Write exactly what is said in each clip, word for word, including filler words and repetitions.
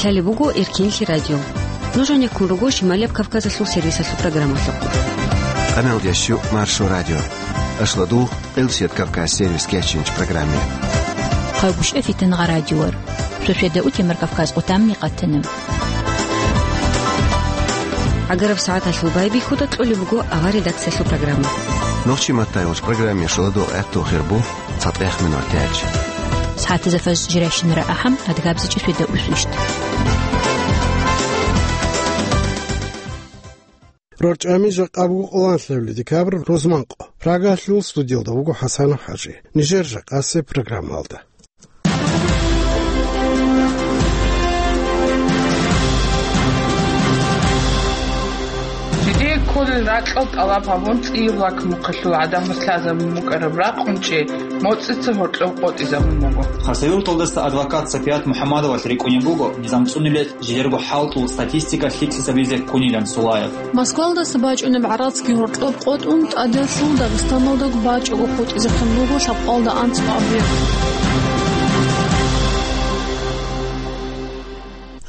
Лъалеб буго Эркинлъи радио. Нуж гьанеккун руго Шималияб Кавказалъул сервисалъул программалъухъ. Къаналдиясчу Маршо радио. Ашладу Къилсият Кавказ сервис кечинч программе. Хъагушев Фитангъа радиор. Шошеда утемар Кавказ къутамни къатана. Агараб сагӀаталъул байбихьуда кьолеб буго ава редакциялъул программа. Нохчи маттайгъуч программе шуладу гӀехту хирбу. ЦатӀех минутач. СагӀатазда фаж жирайщинара ахӀам, адгабзичӀеб светда усвищ. РорчӀами жакъа буго къоланлъабилеб декабрь рузманкъо. Прагалъул студиялда вуго ХӀасан ХӀажи. Нижер жакъасеб программалда. Жидее кколел ракьал тӀалаб гьабун, цӀияб лакмухъалъул гӀадамаз лъазабун букӀараб ракъунчӀи моцӀица гьоркьоб къотӀизабун буго. Хасавюрталдаса адвокат Сапият МухӀаммадовалъ рикӀкӀунеб буго низам цӀунулел жидерго хӀалтӀул статистика лъикӀлъи гьабизе ккунилан Сулаев. Москвалдаса бачӀунеб гӀарацги гьоркьоб къотӀун, тӀаделъул Дагъистаналдаго бачӀого хутӀизехъин буго лъабкъалда анцӀго объект.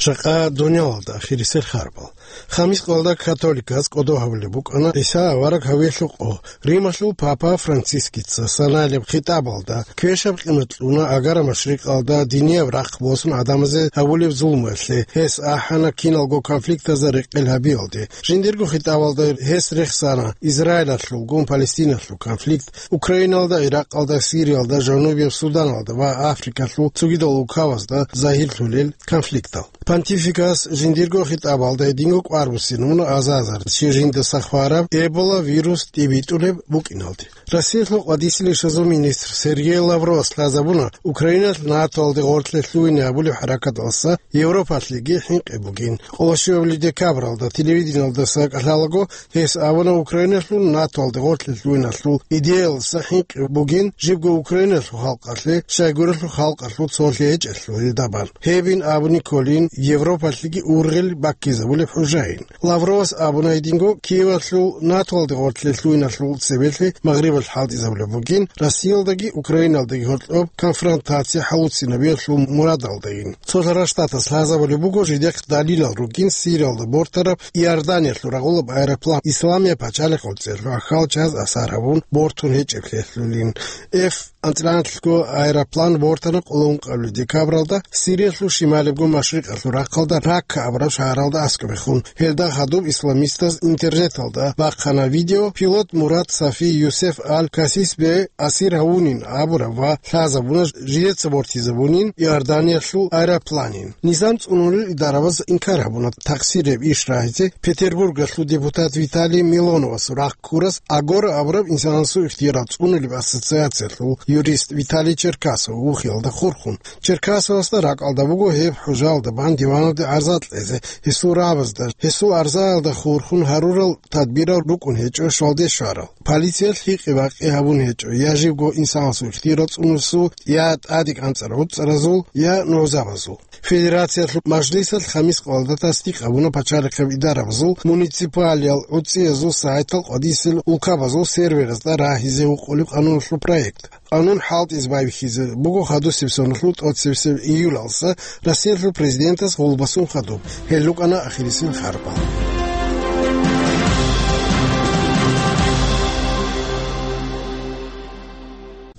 Жакъа дунялалда ахирисел харбал. Хамис къоялда католиказ кӀодо гьабулеб букӀана ГӀиса авараг гьавиялъул къо. Рималъул папа Францискица санаялъ хитӀабалда квешаб къимат кьуна агара машрикъалда динияб рахъ босун гӀадамазе гьабулеб зулмуялъе, гьес ахӀана киналго конфликтазда рекъел гьабиялде. Жиндирго хитӀабалда гьес рехсана Израилалъулгун Палестиналъул конфликт, Украиналда, Иракъалда, Сириялда, Жанубияб Суданалда ва Африкалъул цогидал улкабазда загьирлъулел конфликтал. Понтификас жиндирго хитӀабалда гьединго кӀвар буссинабуна азар-азар чи жиндаса хвараб Эбола вирус тӀибитӀулеб букӀиналде. Россиялъул къватӀиса ришазул министр Сергей Лавровас лъазабуна Украиналъ НАТОалде гъорлъе лъугьине гьабулеб хӀаракаталдаса Европалъеги хӀинкъи бугин. Къоло щуабилеб декабралда телевидениялдаса кӀалъалаго гьес абуна Украиналъул НАТОалде гъорлъе лъугьиналъул идеялдаса хӀинкъи бугин, жибго Украиналъул халкъалъе, щайгурелъул халкъалъул цолъи гьечӀелъул гьелда бан. Гьебин абуни кколин Европалъеги ургъел баккизабулеб хӀужаин. Лавровас абуна гьединго Киевалъул НАТОалде гъорлъе лъугьиналъул цебелъи Магърибалъ хӀалтӀизабулеб бугин, Россиялдаги Украиналдаги гьоркьоб конфронтация хӀалуцинабиялъул мурадалдайин. Цолъарал Штатас лъазабулеб буго жидехъ далилал ругин Сириялда бортараб Иорданиялъул рагъулаб аэроплан Исламияб пачалихъ гӀуцӀиялъул ахал чаз асар гьабун бортун гьечӀеблъиялъулин. F анцӀила анлъго аэроплан бортана къоло ункъабилеб декабралда Сириялъул шималиябго машрикъалъул рахъалда Ракка абураб шагьаралда аскӀобехун. Гьелда хадуб исламистаз интернеталда бахъана видео, пилот Мурат Сафи Юсеф Аль-Касис бе асир гьавунин абураб ва лъазабуна жидеца бортизабунин Иорданиялъул аэропланин. Низам цӀунулел идарабаз инкар гьабуна такъсир гьеб иш рагьизе Петербургалъул депутат Виталий Милоновасул рахъ ккурас Агора абураб инсанасул ихтиярал цӀунулеб ассоциациялъул юрист Виталий Черкасов вухиялда хурхун. Черкасовасда ракӀалда буго гьеб хӀужаялда бан диваналде гӀарза кьезе, гьесул рагӀабазда, гьесул арзаялда хурхун гьарурал тадбирал рукӀун гьечӀо щвалде щварал. Полициялъ гьикъи-бакъи гьабун гьечӀо я жибго инсанасул ихтиярал цӀунусул, я тӀаде кӀанцӀарал гӀуцӀаразул, я нугӀзабазул. Федерациялъул мажлисалъ хамис къоялда тасдикъ гьабуна пачалихъеб идарабазул, муниципалиял гӀуцӀиязул сайтал къватӀисел улкабазул серверазда рагьизе гьукъулеб къануналъул проект. Къанун хӀалтӀизе байбихьизе буго хадусеб соналъул тӀоцебесеб июлалса Россиялъул президентас гъулбасун хадуб. Гьел рукӀана ахирисел харбал.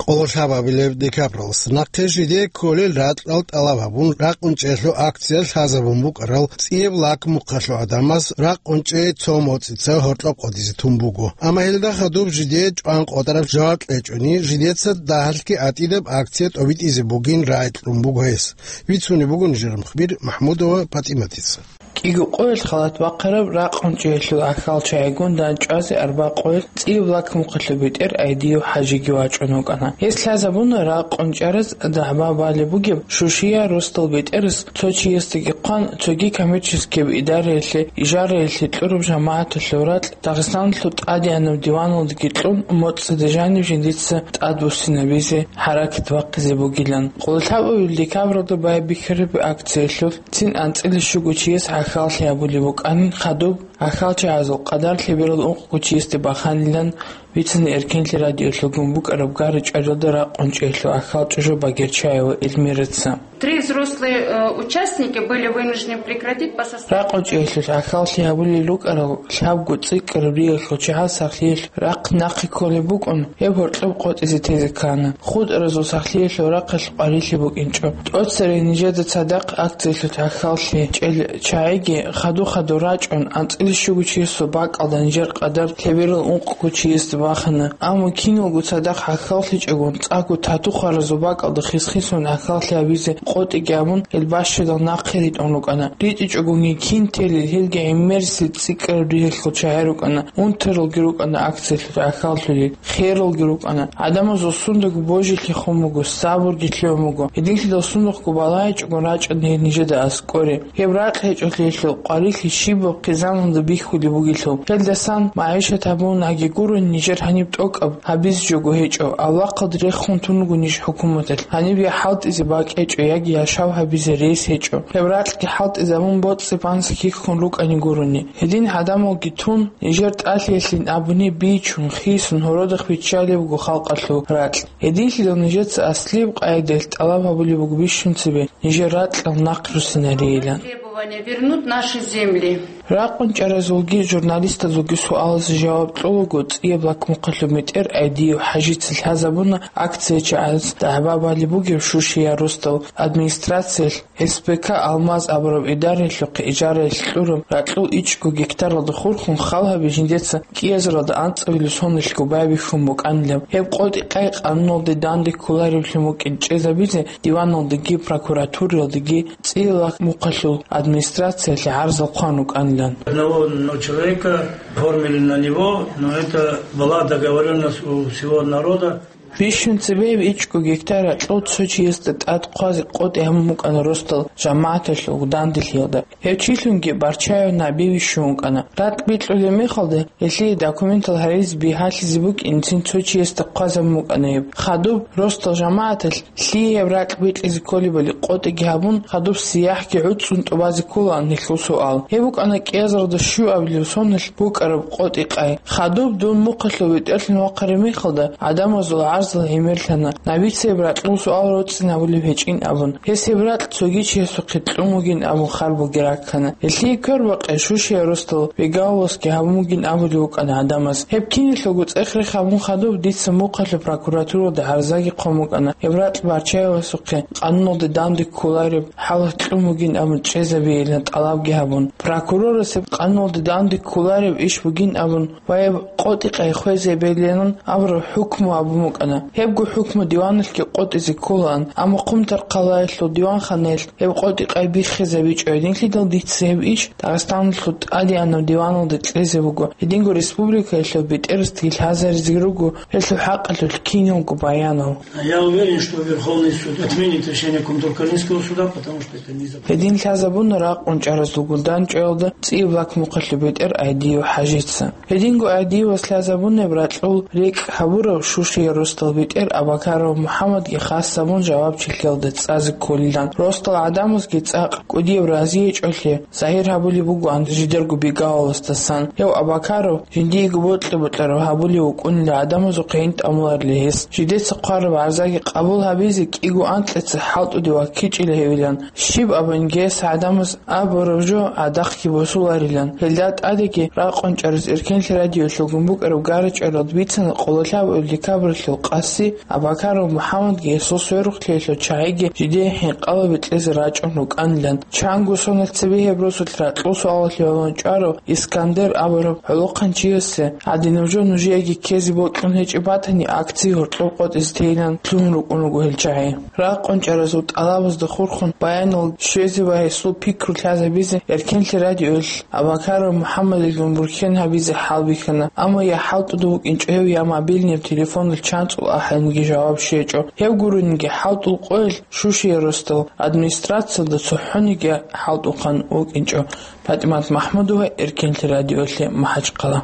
Къоло лъабабилеб декабралас нахъе жидее кколел ракьал тӀалаб гьабун, ракъунчӀелъул акция лъазабун букӀарал цӀияб лакмухъалъул гӀадамаз ракъунчӀей цо моцӀица гьоркьоб къватӀизе тун буго. Амма гьелда хадуб жидее чӀван къотӀараб жаваб кьечӀони, жидеца дагьалъги гӀатӀидаб акция тӀобитӀизе бугин рагӀи кьун буго гьес. Бицунеб буго нижер мухбир МахӀмудова ПатӀиматица. КӀиго къоялъ халат бахъараб ракъунчӀелъул ахал чагӀигун дандчӀвазе арба къоялъ цӀияб лакмухъалъул бетӀер Айдиев ХӀажиги вачӀун вукӀана. Гьес лъазабуна ракъунчӀараз дагӀба балеб бугеб шушия росдал бетӀерас цо чиясдаги хъван, цоги коммерческияб идараялъе, ижараялъе кьураб жамагӀаталъул ракь Дагъистаналъул тӀадегӀанаб диваналдаги кьун, моцӀида жаниб жиндица тӀадбуссинабизе хӀаракат бахъизе бугилан. Къоло лъабабилеб декабралда байбихьараб акциялъулъ цин анцӀила щуго чияс гӀахьаллъи гьабулеб букӀанин хадуб, гӀахьалчагӀазул къадар лъеберал ункъго чиясде баханилан бицана Эркенлъи радиолъулгун букӀараб гара-чӀваралда ракъун чӀеялъул ахьал ЧӀужу Багерчаева Эльмираца. Три взрослые, э, участники были вынуждены прекратить по состоянию. Ракъун чӀеялъул ахьаллъи гьабулел рукӀарал лъабго цӀикӀкӀараб риялъул чагӀаз сахлъиялъ рахъ нахъе кколеб букӀун, гьеб гьоркьоб къотӀизе тезе ккана. ХутӀаразул сахлъиялъул рахъалъ къварилъи букӀинчӀо. ТӀоцерей нижеда цадахъ акциялъул ахьаллъи чӀел чагӀиги хадур-хадур рачӀун, анцӀила щуго чиясул бакӀалда нижер къадар лъеберал ункъго чиясда бахана. Амма киналго цадахъ гӀахьаллъичӀогун, цӀакъго тату-хваразул бакӀалда хис-хисун гӀахьаллъи гьабизе къотӀиги абун, гьел бащадал нахъе ритӀун рукӀана. РитӀичӀогунги кин телел, гьелги гӀемерисел цӀикӀкӀараб риялъул чагӀи рукӀана, унтаралги рукӀана акциялъул гӀахьаллъулел, хералги рукӀана. ГӀадамазул сундаго божилъи хун буго, сабурги лъугӀун буго. Гьединлъидал сундухъго балагьичӀогун рачӀана гьел нижеда аскӀоре. Гьеб ракь гьечӀолъиялъул къварилъи щибаб хъизаналда бихьулеб бугелъул, гьелдасан магӀишат гьабунаги гурони нижер гьаниб тӀокӀаб гьабизе жого гьечӀо, авлахъалда рехун тун руго ниж хӀукуматалъ, гьаниб я хӀалтӀизе бакӀ гьечӀо, яги яшав гьабизе рес гьечӀо. Гьеб ракьги хӀалтӀизабун боцӀи-банци хьихьун рукӀани гурони. Гьедин гӀадамалги тун, нижер тӀалъиялъин абуни бичун, хисун, гьородахъ биччалеб буго халкъалъул ракь. Гьединлъидал нижеца аслияб къагӀидаялъ тӀалаб гьабулеб буго бищун цебе нижер ракьал нахъ руссинарейилан. Требования вернуть наши земли. Ракъун чӀаразулги журналистазулги суалазе жаваб кьолаго цӀияб лакмухъалъуб метер Айдиев ХӀажица лъазабуна акция чагӀаз дагӀба балеб бугеб Шушиял росдал администрациялъ СПК «Алмаз» абураб идараялъухъе ижараялъ кьураб ракьул ичӀго гектаралда хурхун хал гьаби жиндеца кӀиазаралда анцӀабилеб сонилъго байбихьун букӀанилан. Гьеб къотӀи-къай къануналде данде кколареблъун букӀин чӀезабизе диваналдеги прокуратуралдеги цӀияб лакмухъалъул администрациялъе гӀарзал хъван рукӀанилан. Одного, ну, человека оформили на него, но это была договорённость у всего народа. Бищун цебе гьеб ичӀго гектар ракьул цо чиясда тӀад хъвазе къотӀи гьабун букӀана росдал жамагӀаталъул данделъиялда. Гьев чилъунги Барчаев НагӀби вищун вукӀана. Ракь бикьулеб мехалда, гьелъие документал гьаризе бигьалъизе букӀинцин цо чиясда хъвазабун букӀана гьеб. Хадуб росдал жамагӀаталъ лъие гьеб ракь бикьизе кколебали къотӀиги гьабун, хадуб сияхӀги гӀуцӀцӀун тӀубазе кколаан гьелъул суал. Гьеб букӀана кӀиазаралда щуабилеб сонилъ букӀараб къотӀи-къай. Хадуб дун мухъалъул бетӀерлъун вахъараб мехалда, гӀадамазул гӀарзал гӀемерлъана, НагӀбица гьеб ракьул суал роцӀцӀинабулеб гьечӀин абун. Гьес гьеб ракь цоги чиясухъе кьун бугин абун хар бугеб раккана. Гьелъие квербакъи Шушиял росдал Бегаловасги гьабун бугин абулев вукӀана гӀадамаз. Гьеб киналъулго цӀех-рех гьабун хадуб дица мухъалъул прокуратуралда гӀарзаги хъван букӀана, гьеб ракь Барчаевасухъе къануналде данде кколареб хӀалат кьун бугин абун чӀезабейилан тӀалабги гьабун. Прокурорас гьеб къануналде данде кколареб иш бугин абун ва гьеб къотӀи-къай хвезе бегьилан абураб хӀукму гьабун букӀана. Гьебго хӀукму диваналъги къотӀизе кколаан, амма Хъумтархъалаялъул диванханаялъ гьеб къотӀи-къай биххизабичӀо гьединлъидал дица гьеб иш Дагъистаналъул тӀадегӀанаб диваналда кьезе буго. Гьединго республикаялъул бетӀерасдаги лъазаризе руго гьелъул хӀакъалъулъ киналго баянал. Я уверен, что Верховный суд отменит решение Кумтуркалинского суда, потому что это незаконно. Гьедин лъазабуна ракъун чӀаразул гулдан чӀвелда цӀияб лакмухъалъуб бетӀер Айдиев ХӀажица. Гьединго Айдиевас лъазабунеб ракьул рекӀкӀ гьабурав Шушиял росдал бетӀер Абакаров МухӀаммадги хас гьабун жавабчилъиялда цӀазе кколилан. Росдал гӀадамазги цӀакъ кӀудияб разиячӀолъи загьир гьабулеб бугоан жидерго Бегаловасдасан. Гьев Абакаров жиндиего бокьа-бокьараб гьабулев вукӀунила гӀадамазухъе гьин тӀамуларила гьес. Жидеца хъвараб гӀарзаги къабул гьабизе кӀиго анкьица хӀалтӀуде ваккичӀила гьевилан. Щиб абунги гьес гӀадамаз абураб жо гӀадахъги босуларилан. Гьелда тӀадеги ракъун чӀараз Эркенлъи радиолъулгун букӀараб гара-чӀваралда бицана къоло лъабабилеб декабралъул къаси Абакаров МухӀаммадги гьесул сверухълъиялъул чагӀиги жидее хӀинкъалаби кьезе рачӀун рукӀанилан. Чанго соналъ цебе гьеб росулъ ракьул суалалъе гьавун чӀварав Искандер абураб гӀолохъанчиясе гьадинаб жо нужееги ккезе бокьун гьечӀеб батани, акция гьоркьоб къотӀизе тейилан лъугьун рукӀун руго гьел чагӀи. Ракъун чӀаразул тӀалабазда хурхун баянал щвезе ва гьесул пикру лъазабизе Эркенлъи радиоялъ Абакаров МухӀаммадилгун бурхьен гьабизе хӀалбихьана, амма я хӀалтӀуда вукӀинчӀо гьев, я мобильный телефонал чанцӀул ахӀаниги жаваб щвечӀо. Гьев гурониги хӀалтӀул къоялъ Шушиял росдал администрациялда цохӀониги хӀалтӀухъан вукӀинчӀо. ПатӀимат МахӀмудова, Эркенлъи радиолъи, МахӀачхъала.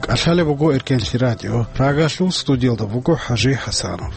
КӀалъалеб буго Эркенлъи радио. Прагалъул студиялда буго ХӀажи ХӀасанов.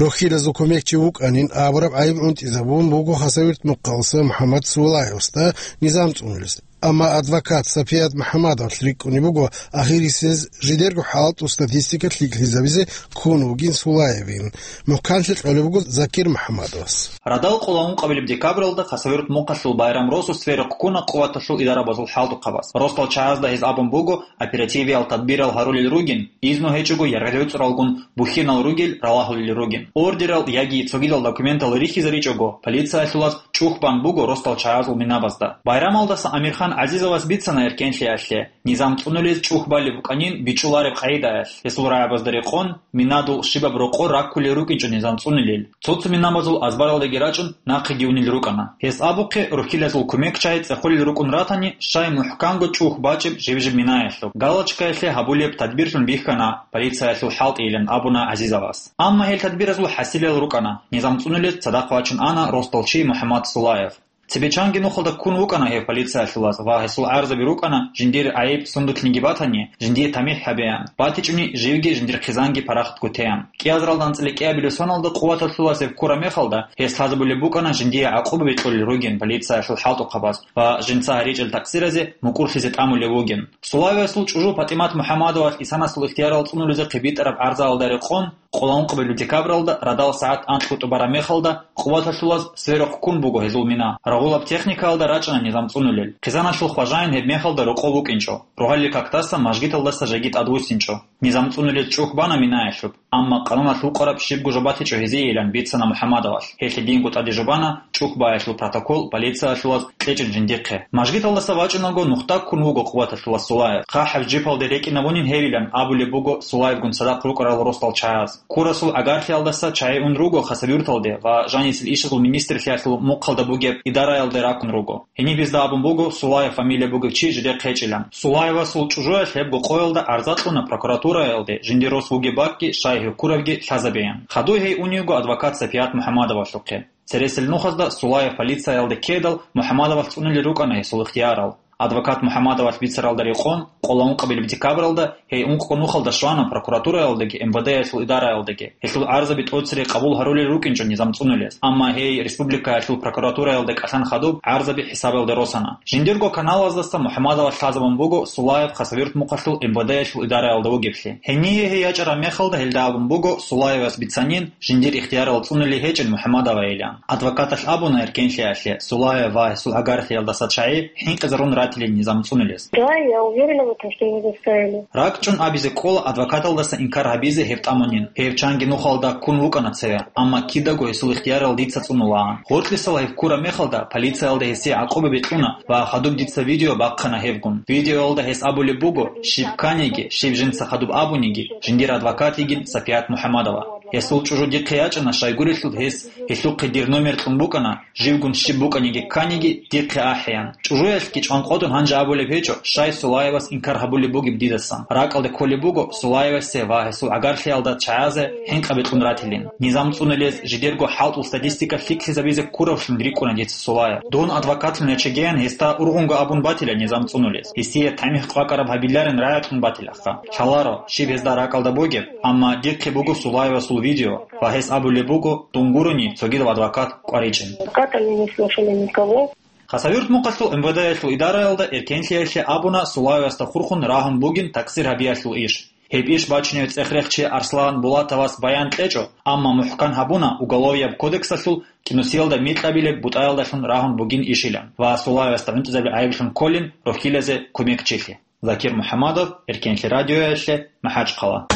Рохьилазул кумекчи вукӀанин абураб гӀайиб гӀунтӀизабун буго Хасавюрт мухъалса МухӀаммад Сулаевасда низам цӀунулес. Амма адвокат Сапият МухӀаммадовалъ рикӀкӀунеб буго ахирисез жидерго хӀалтӀул статистика лъикӀлъизабизе ккун вугин Сулаевин. МухӀканлъи кьолеб буго Закир МухӀаммадовас. Радал къоло ункъабилеб декабралда Хасавюрт мухъалъул Байрам Росу сверухъ ккуна къуваталъул идарабазул хӀалтӀухъабаз. Росдал чагӀазда гьез абун буго, оперативиял тадбирал гьарулел ругин, изну гьечӀого яргъел гӀуцӀралгун бухьинал ругел ралагьулел ругин. Ордерал яги цогидал документал рихьизаричӀого, полициялъулаз чӀухь бан буго росдал чагӀазул минабазда. Байрамалдаса Амирхан ГӀазизовас бицана эркенлъиялъе, низам цӀунулез чӀухь балеб букӀанин бичӀчӀулареб къагӀидаялъ. Гьесул рагӀабазда рекъон, минадул щибаб рокъор раккулел рукӀинчӀо низам цӀунулел. Цо-цо минабазул азбаралдеги рачӀун, нахъеги унел рукӀана. Гьес абухъе, рухьилазул кумекчагӀи цӀехолел рукӀун ратани, щай мухӀканго чӀухь бачӀеб жиб-жиб минаялъул. Галочкаялъе гьабулеб тадбирлъун бихьана полициялъул хӀалтӀийилан абуна ГӀазизовас. Амма гьел тадбиразул хӀасилел рукӀана, низам цӀунулез цадахъ вачун ана росдал чи МухӀаммад Сулаев. Цебе чанги нухалда ккун вукӀана гьев полициялъулаз ва гьесул гӀарзаби рукӀана, жиндир гӀайиб сундулъниги батани, жиндие тамихӀ гьабеян, батичӀони живги жиндир хъизанги парахатго теян. КӀиазаралда анцӀила кӀиабилеб соналда къуваталъулаз гьеб ккураб мехалда, гьес лъазабулеб букӀана жиндие гӀакъуба бекьулел ругин полициялъул хӀалтӀухъабаз ва жинца гьаричӀел такъсиразе мукӀурлъизе тӀамулев вугин. Сулаевасул чӀужу ПатӀимат МухӀаммадовалъ исанасул ихтиярал цӀунулезехъе битӀараб гӀарзаялда рекъон, къоло ункъабилеб декабралда радал сагӀат анкьго тӀубараб мехалда, къуваталъулаз сверухъ ккун буго гьезул мина. Рагъулаб техникаялда рачӀана низам цӀунулел. Хъизаналъул хважаин гьеб мехалда рокъов вукӀинчӀо. Рогьалил кактаса мажгиталдаса жеги тӀадвуссинчӀо. Низам цӀунулез чӀухь бана минаялъуб, амма къануналъ вукъараб щибго жо батичӀо гьезиейилан бицана МухӀаммадовалъ. Гьелъ динго тӀадежо бана чӀухь баялъул протокол полициялъулаз кьечӀин жиндихъе. Мажгиталдаса вачӀунаго нухда ккун вуго къуваталъулаз Сулаев. ХъахӀаб жипалде рекӀинабунин гьевилан абулеб буго Сулаевгун цадахъ рукӀарал росдал чагӀаз. Ккурасул агархиялдаса чагӀи ун руго Хасавюрталде ва жанисел ишазул министрлъиялъул мухъалда бугеб идараялде ракун руго. Гьениб гьезда абун буго Сулаев фамилия бугев чи жидехъ гьечӀилан. Сулаевасул чӀужуялъ гьебго къоялда гӀарза кьуна прокуратураялде, жиндир рос вугеб бакӀги щай гьев ккурабги лъазабеян. Хадуй гьей уневго адвокат Сапият МухӀаммадовалъухъе. Цересел нухазда Сулаев полициялде ккедал, МухӀаммадовалъ цӀунулел рукӀана гьесул ихтиярал. Адвокат МухӀаммадовалъ бицаралда рекъон, къоло ункъабилеб декабралда, гьей ункъго нухалда щвана прокуратураялдаги МВД-ялъул идараялдаги. Гьелъул гӀарзаби тӀоцере къабул гьарулел рукӀинчӀо низам цӀунулез. Амма гьей республикаялъул прокуратураялда кӀалъан хадуб гӀарзаби хӀисабалде росана. Жиндирго каналаздаса МухӀаммадовалъ лъазабун буго Сулаев Хасавюрт мухъалъул МВД-ялъул идараялда вугеблъи. Гьение гьей ячӀараб мехалда гьелда абун буго Сулаевас бицанин, жиндир ихтиярал цӀунулей гьечӀин МухӀаммадовайилан. Адвокаталъ абуна эркенлъиялъе, Сулаев ва гьесул гӀагарлъиялдаса чагӀи хӀинкъизарун ратилин низам цӀунулез. Да, я уверена в этом, что его заставили. РакӀчӀун абизе кӀола адвокаталдаса инкар гьабизе гьеб тӀамунин. Гьев чанги нухалда ккун вукӀана цеве, амма кидаго гьесул ихтиярал дица цӀунулаан. Гъоркьисал гьев ккураб мехалда полициялда гьесие гӀакъуба бикьуна ва хадуб дица видео бахъана гьевгун. Видеоялда гьес абулеб буго, щиб кканиги, щиб жинца хадуб абуниги, жиндир адвокат йигин Сапият МухӀаммадова. Гьесул чӀужу дихъе ячӀана, щайгурелъул гьес гьелъухъе дир номер кьун букӀана, живгун щиб букӀаниги кканиги дихъе ахӀеян. ЧӀужуялъги чӀванкъотӀун гьанже абулеб гьечӀо, щай Сулаевас инкар гьабулеб бугеб дидасан. РакӀалде кколеб буго Сулаевасе ва гьесул гӀагарлъиялда чагӀазе хӀинкъи бикьун ратилин. Низам цӀунулез жидерго хӀалтӀул статистика лъикӀлъизабизе ккуравлъун рикӀкӀуна дица Сулаев. Дун адвокатлъун ячегеян гьесда ургъунго абун батила низам цӀунулез. Гьесие тамихӀ къвакӀараб гьабиларин рагӀулъун батилаха. Лъаларо, щиб гьезда ракӀалда бугеб, амма дихъе буго Сулаевасул видео ва гьес абулеб буго, дун гурони цогидав адвокат къваричӀин. Адвоката мы не слушали никого. Хасавюрт мухъалъул МВД-ялъул идараялда эркенлъиялъе абуна Сулаевасда хурхун рагьун бугин такъсир гьабиялъул иш. Гьеб иш бачунев цӀехрехчи Арслан Булатовас баян кьечӀо, амма мухӀкан гьабуна Уголовияб кодексалъул кӀинусиялда микьабилеб бутӀаялдалъун рагьун бугин ишилан ва Сулаевасда гӀунтӀизабил гӀайиблъун кколин рохьилазе кумекчилъи. Закир МухӀаммадов, Эркенлъи радиоялъе, МахӀачхъала.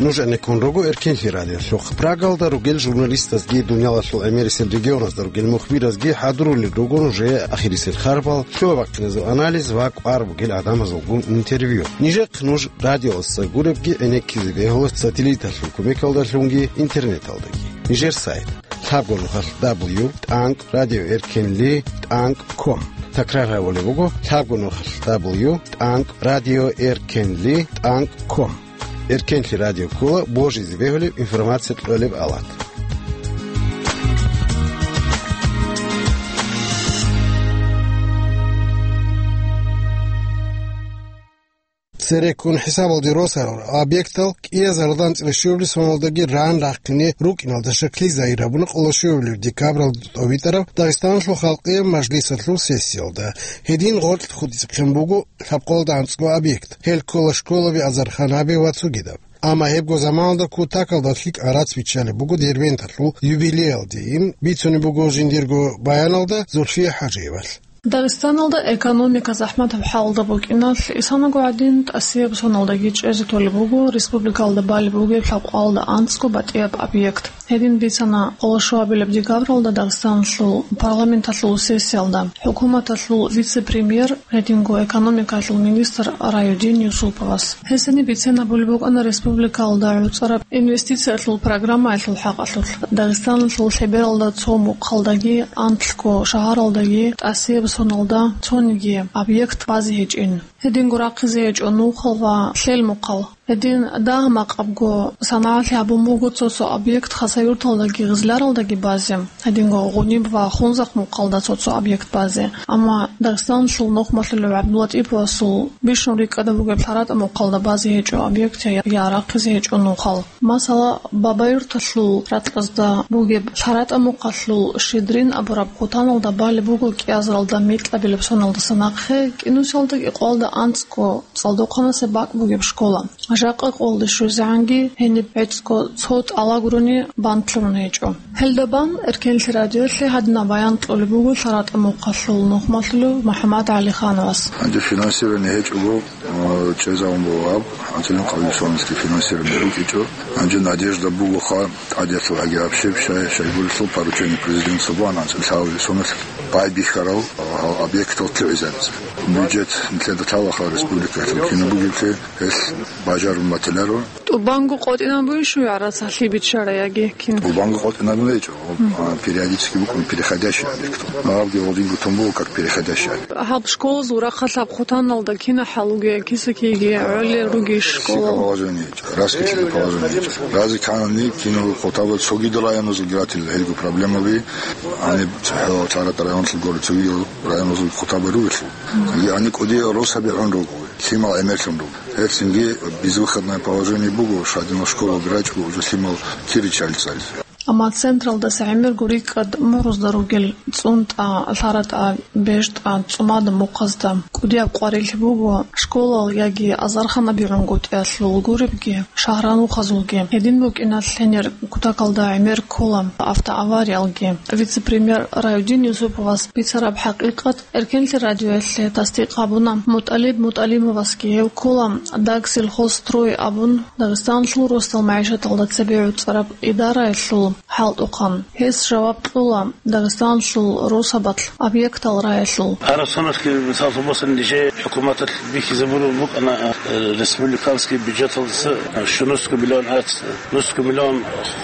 Нуж гӀенеккун руго Эркенлъи радиолъухъ. Прагалда ругел журналистазги, дуниялалъул гӀемерисел регионазда ругел мухбиразги хӀадурулел руго нужее ахирисел харбал, лъугьа-бахъиназул анализ ва кӀвар бугел гӀадамазулгун интервью. Нижехъ нуж радиоялдаса гуребги гӀенеккизе бегьула сателлиталъул кумекалдалъунги интернеталдаги. Нижер сайт: лъабго нухалъ дабл ю тӀанкӀ радио эркенли тӀанкӀ ком. Такрар гьабулеб буго: лъабго нухалъ дабл ю тӀанкӀ радио эркенли тӀанкӀ ком. Эркенлъи радио ккола божизе бегьулеб информация кьолеб алат. Цереккун хӀисабалде росарал объектал кӀиазаралда анцӀила щуабилеб соналдаги ран рахъине рукӀиналда щаклъи загьир гьабуна къоло щуабилеб декабралда тӀовитӀараб Дагъистаналъул халкъияб мажлисалъул сессиялда. Гьедин гъоркь хутӀизехъин буго лъабкъоялда анцӀго объект. Гьел ккола школаби, азарханаби ва цогидаб. Амма гьебго заманалда кутакалда лъикӀ гӀарац биччалеб буго Дербенталъул юбилеялде, ин бицунеб буго жиндирго баяналда Зульфия ХӀажиевалъ. Дагъистаналда экономика захӀматаб хӀалда букӀиналъ, исанаго гӀадин, тӀасияб соналдаги чӀезе толеб буго республикалда балеб бугеб лъабкъоялда анцӀго батӀияб объект. Гьедин бицана къоло щуабилеб декабралда Дагъистаналъул парламенталъул сессиялда хӀукуматалъул вице-премьер, гьединго экономикалъул министр Райудин Юсуповас. Гьесие бицен абулеб букӀана республикалда гӀуцӀараб инвестициялъул программаялъул хӀакъалъулъ. Дагъистаналъул лъебералда цо мухъалдаги, анлъго шагьаралдаги тӀасияб соналда цониги объект базе гьечӀин. Гьединго рахъизе гьечӀо нухал ва лъел мухъал. Гьедин дагь-макъабго санагӀалъи гьабун буго цо-цо объект Хасавюрталдаги Гъизляралдаги базе, гьединго Гъуниб ва Хунзахъ мухъалда цо-цо объект базе. Амма Дагъистаналъул нухмалъулев ГӀабдуллатӀиповасул бищун рикӀкӀада бугеб ЛъаратӀа мухъалда базе гьечӀо объект я, я рахъизе гьечӀо нухал. Масала, Бабаюрталъул ракьазда бугеб ЛъаратӀа мухъалъул Щедрин абураб хъутаналда балеб буго кӀиазаралда микьабилеб соналдаса нахъе кӀинусиялда кӀикъоялда анцӀго цӀалдохъанасеб бакӀ бугеб школа. Жакъа къолде щвезегӀанги гьениб гӀецӀго цо тӀалаб гурони банлъун гьечӀо. Гьелда бан Эркенлъи радиоялъе гьадинаб баян кьолеб буго ЛъаратӀа мухъалъул нухмалъулев МухӀаммад ГӀалихановас. Гьанже финансирование гьечӀого, э, чӀезавун буго гьаб, анцӀила къабил соналъги финансирование букӀинчӀо. Гьанже надежда бугоха, тӀадеялъул гьагиабщеб, щай, щайгурелъул поручение президенталъул бугоан анцӀила лъабабилеб соналъ байбихьарал, а, объектал лъугӀизаризе. Бюджет нилъеда лъалаха республикалъул кинаб бугеблъи, гьелъ бажарун батиларо. ТӀубанго къотӀинаб бугищ гӀарац гьалъие биччарай яги кин? ТӀубанго къотӀинаб гьечӀо, а, периодически букӀун переходящий объект. Гьабги гьодинго тун буго как переходящий объект. Гьаб школазул рахъалъаб хъутаналда кина хӀал ругея, кисакиги гӀолел ругищ школа? Положение. Раскачанное положение. Разе кканани, кинал хъутаба цогидал районазул гратил гьелго проблемаби, гьаниб цохӀо ЛъаратӀа районалъул гури цогидал районазул хъутаба ругелъул. Гьаниб кӀудиял росаби гӀун руго, лъимал гӀемерлъун руго. Гьеб цинги безвыходное положение буго, щадинал школалги рачӀого уже лъимал кири чӀалел цӀализе. Амма централдаса гӀемерго рикӀкӀад мурузда ругел ЦӀунтӀа, ЛъаратӀа, БежтӀа, ЦӀумада мухъазда кӀудияб къварилъи буго школал яги азарханаби гӀунгутӀиялъул гуребги, шагьранухъазулги. Гьедин букӀиналъ гьенир кутакалда гӀемер ккола автоавариялги. Вице-премьер Райудин Юсуповас бицараб хӀакъикъат Эркенлъи радиоялъе тасдикъ гьабуна. МутӀалиб МутӀалимовасги гьев ккола Дагсельхозстрой абун, Дагъистаналъул росдал магӀишаталда цебе гӀуцӀараб идараялъул хӀалтӀухъан. Гьес жаваб кьола Дагъистаналъул росабалъ объектал раялъул. Гьарасунаслъги, мисаллъун босани, нижее хӀукуматалъ бихьизабураб букӀана, э, республиканский бюджеталдаса, э, щунусго миллион гӀарац, нусго миллион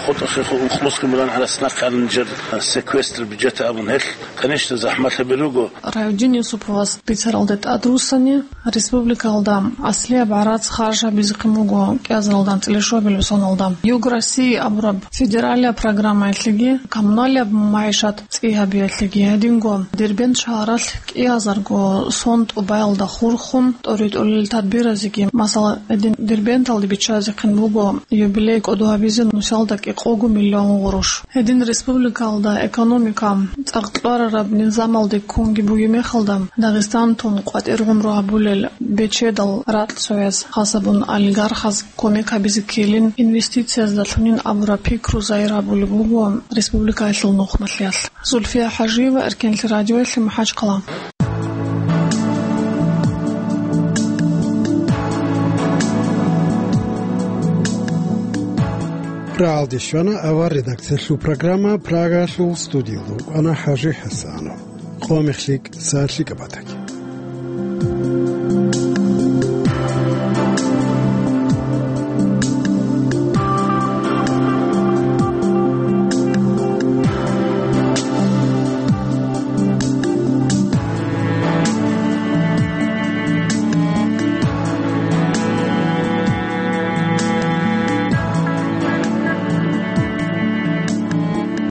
хутӀа-, хутӀа-, нусго миллион гӀарац нахъе ана нижер, э, секвестр бюджета абун гьелъ. Конечно, захӀмалъаби руго. Райудин Юсуповас бицаралде тӀадруссани, республикалда аслияб гӀарац харж гьабизехъин буго кӀиазаралда анцӀила щуабилеб соналда. Юг России абураб федералияб программаялъеги, коммуналияб магӀишат цӀи гьабиялъеги гьединго Дербент шагьаралъ кӀиазарго сон тӀубаялда хурхун тӀоритӀулел тадбиразеги, масала, гьедин Дербенталде биччазехъин буго юбилей кӀодо гьабизе нусиялда кӀикъого миллион гъурущ. Гьедин республикалда экономика цӀакъ кьварараб низамалде ккунги бугеб мехалда, Дагъистан тун къватӀир гӀумру гьабулел бечедал ракь цояз, хасабун олигархаз кумек гьабизе ккелин, инвестицияздалъунин абураб пикру загьир гьабулеб буго республикаялъул нухмалъиялъ. Зульфия ХӀажиева, Эркенлъи радиоялъе, МахӀачхъала. Рагьалде щвана авар редакциялъул программа, Прагалъул студиялда вукӀана ХӀажи ХӀасанов. Къо мехлъи, сагӀат лъикӀаб батаги.